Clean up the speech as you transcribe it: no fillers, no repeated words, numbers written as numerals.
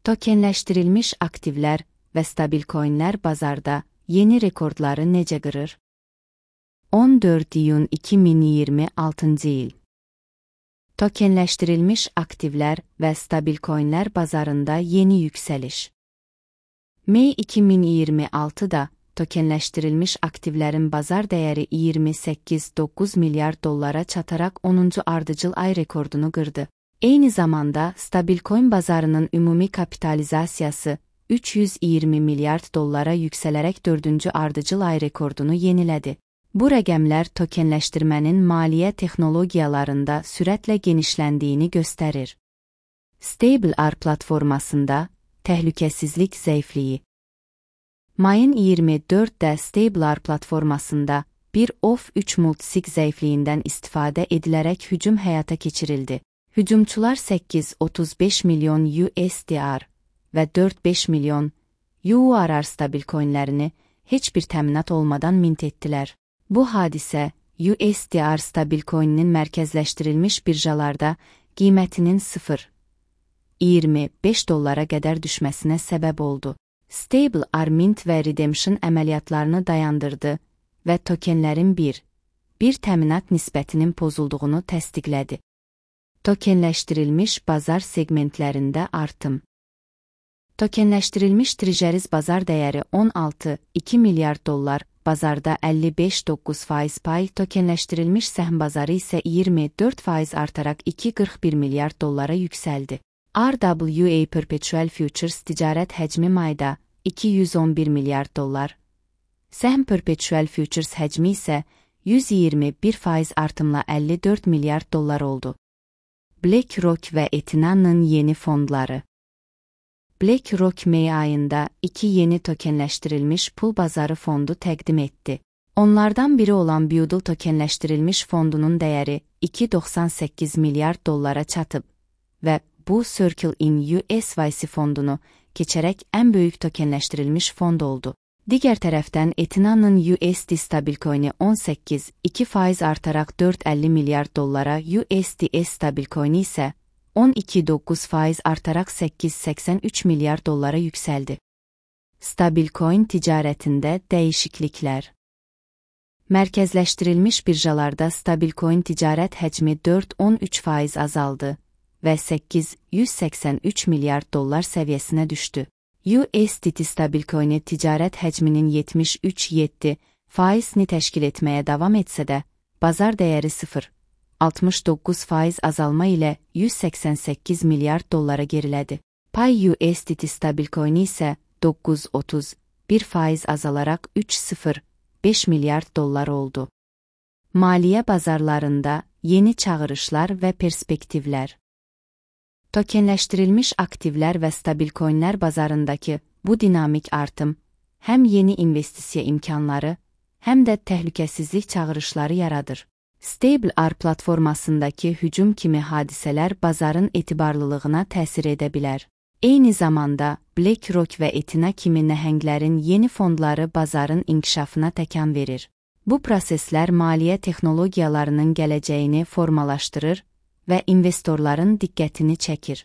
Tokenləşdirilmiş aktivlər və stabil coinlər bazarda yeni rekordları necə qırır? 14 iyun 2026 il. Tokenləşdirilmiş aktivlər və stabil coinlər bazarında yeni yüksəliş. May 2026-da tokenləşdirilmiş aktivlərin bazar dəyəri 28,9 milyard dollara çataraq 10-cu ardıcıl ay rekordunu qırdı. Eyni zamanda stabil coin bazarının ümumi kapitalizasiyası 320 milyard dollara yüksələrək 4-cü ardıcıl ay rekordunu yenilədi. Bu rəqəmlər tokenləşdirmənin maliyyə texnologiyalarında sürətlə genişləndiyini göstərir. StableR platformasında təhlükəsizlik zəifliyi. Mayın 24-də StableR platformasında bir OF3 multisig zəifliyindən istifadə edilərək hücum həyata keçirildi. Hücumçular 8,35 milyon USDR və 4,5 milyon URR stabil coinlərini heç bir təminat olmadan mint etdilər. Bu hadisə, USDR stabil coininin mərkəzləşdirilmiş birjalarda qiymətinin 0,25 dollara qədər düşməsinə səbəb oldu. StableR mint və redemption əməliyyatlarını dayandırdı və tokenlərin bir təminat nisbətinin pozulduğunu təsdiqlədi. Tokenləşdirilmiş bazar segmentlərində artım. Tokenləşdirilmiş trejeriz bazar dəyəri 16,2 milyard dollar, bazarda 55,9% pay, tokenləşdirilmiş səhm bazarı isə 24% artaraq 2,41 milyard dollara yüksəldi. RWA Perpetual Futures ticarət həcmi mayda 211 milyard dollar. Səhm Perpetual Futures həcmi isə 121% artımla 54 milyard dollar oldu. BlackRock və Etina'nın yeni fondları. BlackRock May ayında 2 yeni tokenləşdirilmiş pul bazarı fondu təqdim etdi. Onlardan biri olan Buidl tokenləşdirilmiş fondunun dəyəri 2,98 milyard dollara çatıb və bu Circle in USYC fondunu keçərək ən böyük tokenləşdirilmiş fond oldu. Digər tərəfdən Etina'nın USD stabil coin'i 18,2% artaraq 4,50 milyard dollara, USDS stabil coin'i isə 12,9% artaraq 8,83 milyard dollara yüksəldi. Stabil coin ticarətində dəyişikliklər. Mərkəzləşdirilmiş birjalarda stabil coin ticarət həcmi 4,13% azaldı və 883 milyard dollar səviyyəsinə düşdü. USDT stabil coin'i ticarət həcminin 73,7%-ni təşkil etməyə davam etsə də, bazar dəyəri 0,69% azalma ilə 188 milyard dollara gerilədi. Pay USDT stabil coin'i isə 9,31% azalaraq 3,05 milyard dollar oldu. Maliyyə bazarlarında yeni çağırışlar və perspektivlər. Tokenləşdirilmiş aktivlər və stabil coinlər bazarındakı bu dinamik artım həm yeni investisiya imkanları, həm də təhlükəsizlik çağırışları yaradır. StableR platformasındakı hücum kimi hadisələr bazarın etibarlılığına təsir edə bilər. Eyni zamanda BlackRock və Etina kimi nəhənglərin yeni fondları bazarın inkişafına təkan verir. Bu proseslər maliyyə texnologiyalarının gələcəyini formalaşdırır və investorların diqqətini çəkir.